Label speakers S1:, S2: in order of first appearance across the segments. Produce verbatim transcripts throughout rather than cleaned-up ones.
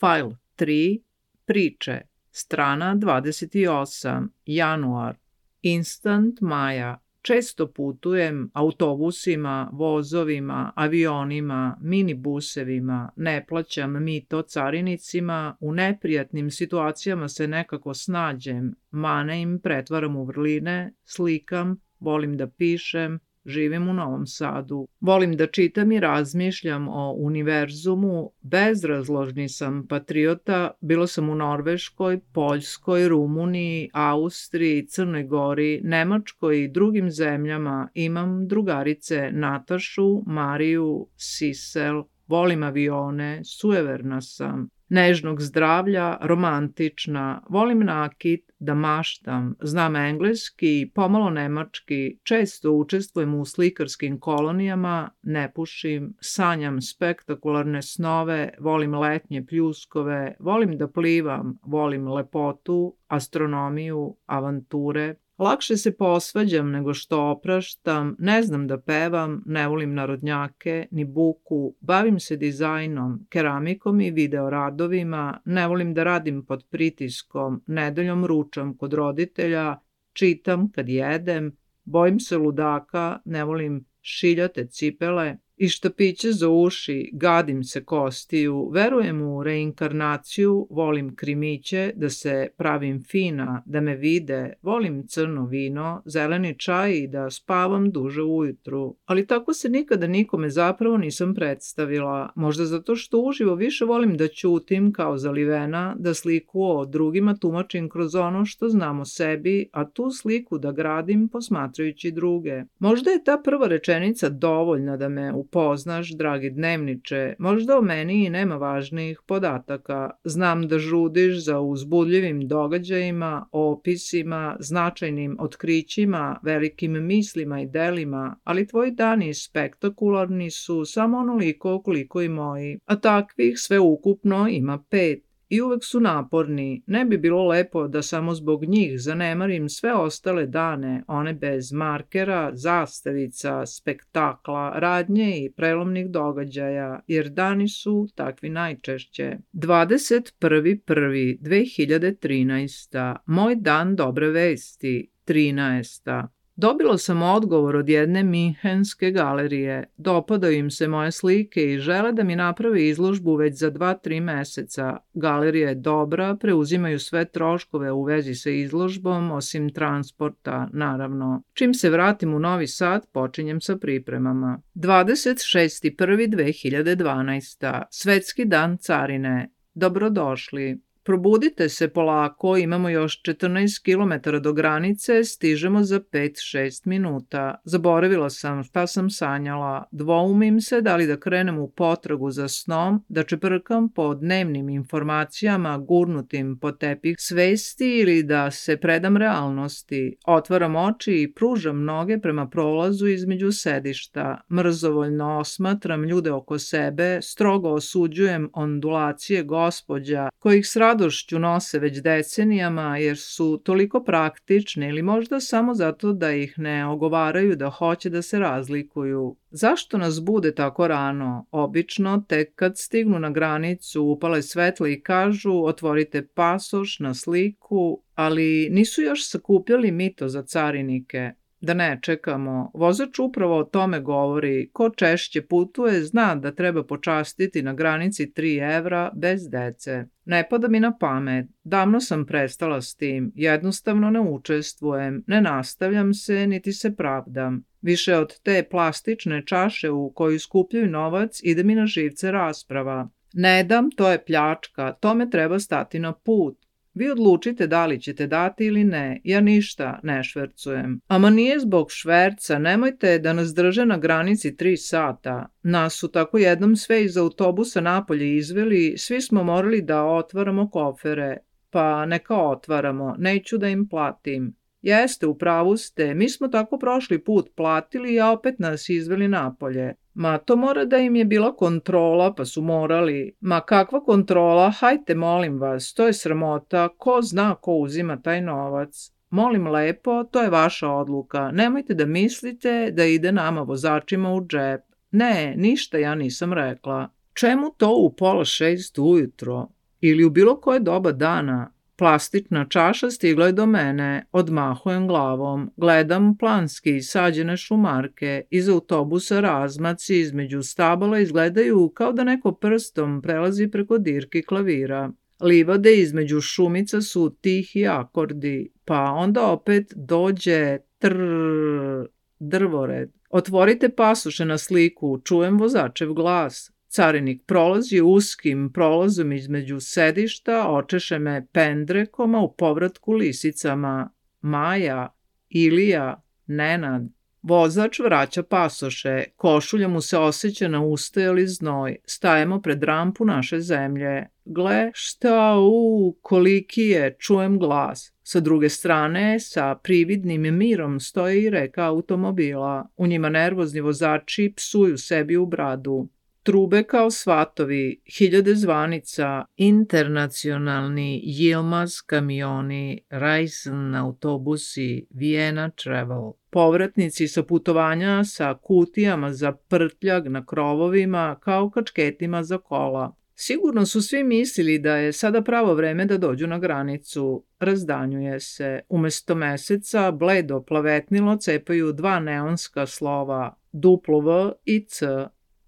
S1: File tri, priče, strana dvadeset osam, januar, instant Maja. Često putujem autobusima, vozovima, avionima, minibusevima, ne plaćam mito carinicima, u neprijatnim situacijama se nekako snađem, mane im pretvaram u vrline, slikam, volim da pišem, živim u Novom Sadu. Volim da čitam i razmišljam o univerzumu, bezrazložni sam patriota, bilo sam u Norveškoj, Poljskoj, Rumuniji, Austriji, Crnoj Gori, Nemačkoj i drugim zemljama, imam drugarice Natašu, Mariju, Sisel, volim avione, sujeverna sam, nežnog zdravlja, romantična, volim nakit, da maštam, znam engleski, pomalo nemački, često učestvujem u slikarskim kolonijama, ne pušim, sanjam spektakularne snove, volim letnje pljuskove, volim da plivam, volim lepotu, astronomiju, avanture. Lakše se posvađam nego što opraštam, ne znam da pevam, ne volim narodnjake, ni buku, bavim se dizajnom, keramikom i videoradovima, ne volim da radim pod pritiskom, nedeljom ručam kod roditelja, čitam kad jedem, bojim se ludaka, ne volim šiljate cipele i štapiće za uši, gadim se kostiju, verujem u reinkarnaciju, volim krimiće, da se pravim fina, da me vide, volim crno vino, zeleni čaj i da spavam duže ujutru. Ali tako se nikada nikome zapravo nisam predstavila, možda zato što uživo više volim da ćutim kao zalivena, da sliku o drugima tumačim kroz ono što znam o sebi, a tu sliku da gradim posmatrajući druge. Možda je ta prva rečenica dovoljna da me upoznaš, dragi dnevniče, možda o meni i nema važnijih podataka. Znam da žudiš za uzbudljivim događajima, opisima, značajnim otkrićima, velikim mislima i delima, ali tvoji dani spektakularni su samo onoliko koliko i moji, a takvih sve ukupno ima pet. I uvek su naporni, ne bi bilo lepo da samo zbog njih zanemarim sve ostale dane, one bez markera, zastavica, spektakla, radnje i prelomnih događaja, jer dani su takvi najčešće. dvadeset prvi prvi dve hiljade trinaesta. Moj dan dobre vesti. trinaesta. Dobila sam odgovor od jedne minhenske galerije. Dopadaju im se moje slike i žele da mi naprave izložbu već za dva tri meseca. Galerija je dobra, preuzimaju sve troškove u vezi sa izložbom, osim transporta, naravno. Čim se vratim u Novi Sad, počinjem sa pripremama. dvadeset šesti prvi dve hiljade dvanaesta. Svetski dan carine. Dobrodošli. Probudite se polako, imamo još četrnaest kilometara do granice, stižemo za pet šest minuta. Zaboravila sam šta sam sanjala, dvoumim se da li da krenem u potragu za snom, da čeprkam po dnevnim informacijama gurnutim po tepih svesti ili da se predam realnosti. Otvaram oči i pružam noge prema prolazu između sedišta. Mrzovoljno osmatram ljude oko sebe, strogo osuđujem ondulacije gospođa kojih s radošću nose već decenijama jer su toliko praktične ili možda samo zato da ih ne ogovaraju da hoće da se razlikuju. Zašto nas bude tako rano? Obično, tek kad stignu na granicu, upale svetla i kažu otvorite pasoš na sliku, ali nisu još sakupljali mito za carinike. Da ne čekamo, vozač upravo o tome govori, ko češće putuje zna da treba počastiti na granici tri evra bez dece. Ne pada mi na pamet, davno sam prestala s tim, jednostavno ne učestvujem, ne nastavljam se niti se pravdam. Više od te plastične čaše u koju skupljaju novac ide mi na živce rasprava. Ne dam, to je pljačka, tome treba stati na put. Vi odlučite da li ćete dati ili ne, ja ništa ne švercujem. Ama nije zbog šverca, nemojte da nas drže na granici tri sata. Nas su tako jednom sve iz autobusa napolje izveli, svi smo morali da otvaramo kofere. Pa neka otvaramo, neću da im platim. Jeste, u pravu ste, mi smo tako prošli put platili, a opet nas izveli napolje. Ma to mora da im je bila kontrola, pa su morali. Ma kakva kontrola, hajte molim vas, to je sramota, ko zna ko uzima taj novac. Molim lepo, to je vaša odluka, nemojte da mislite da ide nama vozačima u džep. Ne, ništa ja nisam rekla. Čemu to u pola šest ujutro? ili u bilo koje doba dana. Plastična čaša stigla je do mene, odmahujem glavom, gledam planski sađene šumarke, iz autobusa razmaci između stabala izgledaju kao da neko prstom prelazi preko dirki klavira. Livade između šumica su tihi akordi, pa onda opet dođe trrrr, drvored. Otvorite pasoše na sliku, čujem vozačev glas. Carinik prolazi uskim prolazom između sedišta, očeše me pendrekom, a u povratku lisicama. Maja, Ilija, Nenad. Vozač vraća pasoše, košulja mu se osjeća na ustajali znoj. Stajemo pred rampu naše zemlje. Gle, šta u, koliki je, čujem glas. Sa druge strane, sa prividnim mirom stoje i reka automobila. U njima nervozni vozači psuju sebi u bradu. Trube kao svatovi, hiljade zvanica, internacionalni Yilmaz kamioni, Ryzen autobusi, Vienna Travel. Povratnici sa putovanja sa kutijama za prtljag na krovovima kao kačketima za kola. Sigurno su svi mislili da je sada pravo vreme da dođu na granicu. Razdanjuje se. Umesto meseca, bledo plavetnilo cepaju dva neonska slova, duplo V i C.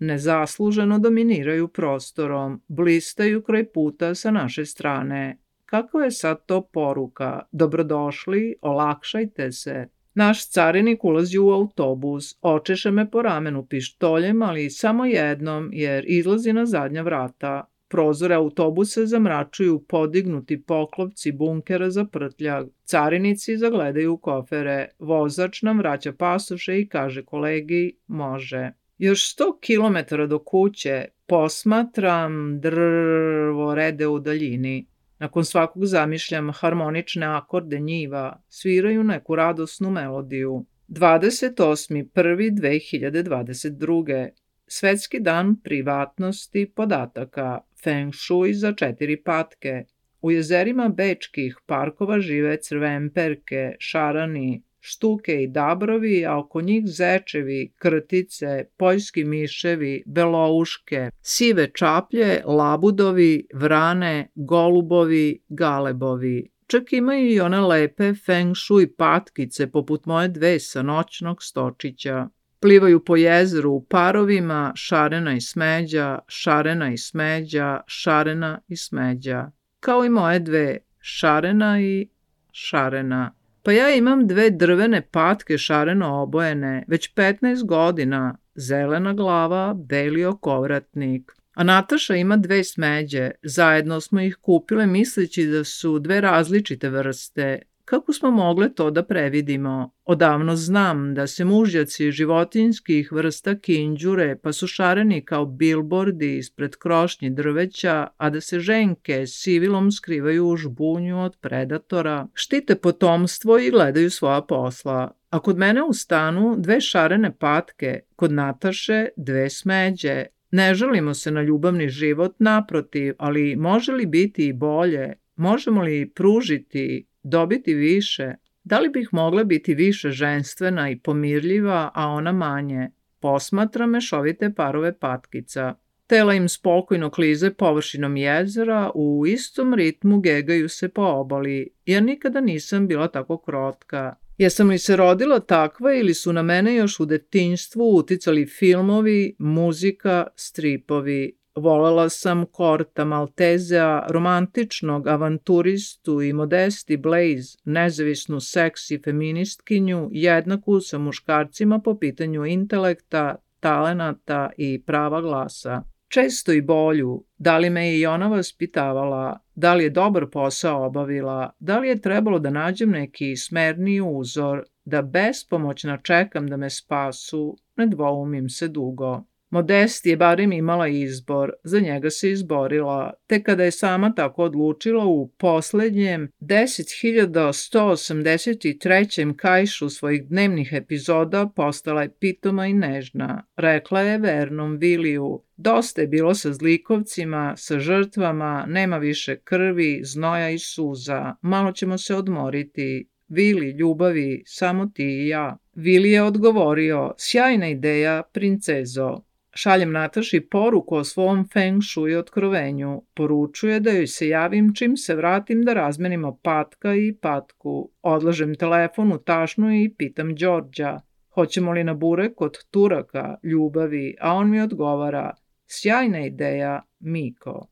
S1: Nezasluženo dominiraju prostorom, blistaju kraj puta sa naše strane. Kakva je sad to poruka? Dobrodošli, olakšajte se. Naš carinik ulazi u autobus, očeše me po ramenu pištoljem, ali samo jednom, jer izlazi na zadnja vrata. Prozore autobusa zamračuju podignuti poklopci bunkera za prtljag. Carinici zagledaju kofere. Vozač nam vraća pasoše i kaže kolegi, može. Još sto kilometara do kuće posmatram drvorede u daljini. Nakon svakog zamišljam harmonične akorde njiva, sviraju neku radosnu melodiju. dvadeset osmi prvog dve hiljade dvadeset druge. Svetski dan privatnosti podataka, Feng Shui za četiri patke. U jezerima bečkih parkova žive crvenperke, šarani, štuke i dabrovi, a oko njih zečevi, krtice, poljski miševi, belouške, sive čaplje, labudovi, vrane, golubovi, galebovi. Čak imaju i one lepe feng shui patkice poput moje dve sa noćnog stočića. Plivaju po jezeru u parovima, šarena i smeđa, šarena i smeđa, šarena i smeđa. Kao i moje dve, šarena i šarena. Pa ja imam dve drvene patke šareno obojene, već petnaest godina, zelena glava, beli okovratnik. A Nataša ima dve smeđe, zajedno smo ih kupile misleći da su dve različite vrste. Kako smo mogle to da previdimo? Odavno znam da se mužjaci životinjskih vrsta kinđure pa su šareni kao bilbordi ispred krošnji drveća, a da se ženke sivilom skrivaju u žbunju od predatora, štite potomstvo i gledaju svoja posla. A kod mene u stanu dve šarene patke, kod Nataše dve smeđe. Ne žalimo se na ljubavni život, naprotiv, ali može li biti i bolje? Možemo li pružiti, dobiti više? Da li bih mogla biti više ženstvena i pomirljiva, a ona manje? Posmatra mešovite parove patkica. Tela im spokojno klize površinom jezera, u istom ritmu gegaju se po obali. Ja nikada nisam bila tako krotka. Jesam li se rodila takva ili su na mene još u detinjstvu uticali filmovi, muzika, stripovi? Volela sam Korta Maltezea, romantičnog avanturistu i Modesti Blaze, nezavisnu seksi feministkinju, jednaku sa muškarcima po pitanju intelekta, talenata i prava glasa. Često i bolju, da li me je i ona vaspitavala, da li je dobar posao obavila, da li je trebalo da nađem neki smerniji uzor, da bespomoćno čekam da me spasu, ne dvoumim se dugo. Modesti je barem imala izbor, za njega se izborila, te kada je sama tako odlučila u poslednjem deset hiljada sto osamdeset trećem kajšu svojih dnevnih epizoda postala je pitoma i nežna. Rekla je vernom Viliju, dosta je bilo sa zlikovcima, sa žrtvama, nema više krvi, znoja i suza, malo ćemo se odmoriti. Vili, ljubavi, samo ti i ja. Vili je odgovorio, sjajna ideja, princezo. Šaljem Nataši poruku o svom feng shui otkrovenju. Poručuje da joj se javim čim se vratim da razmenimo patka i patku. Odlažem telefon u tašnu i pitam Đorđa, hoćemo li na burek kod Turaka, ljubavi, a on mi odgovara, sjajna ideja, Miko.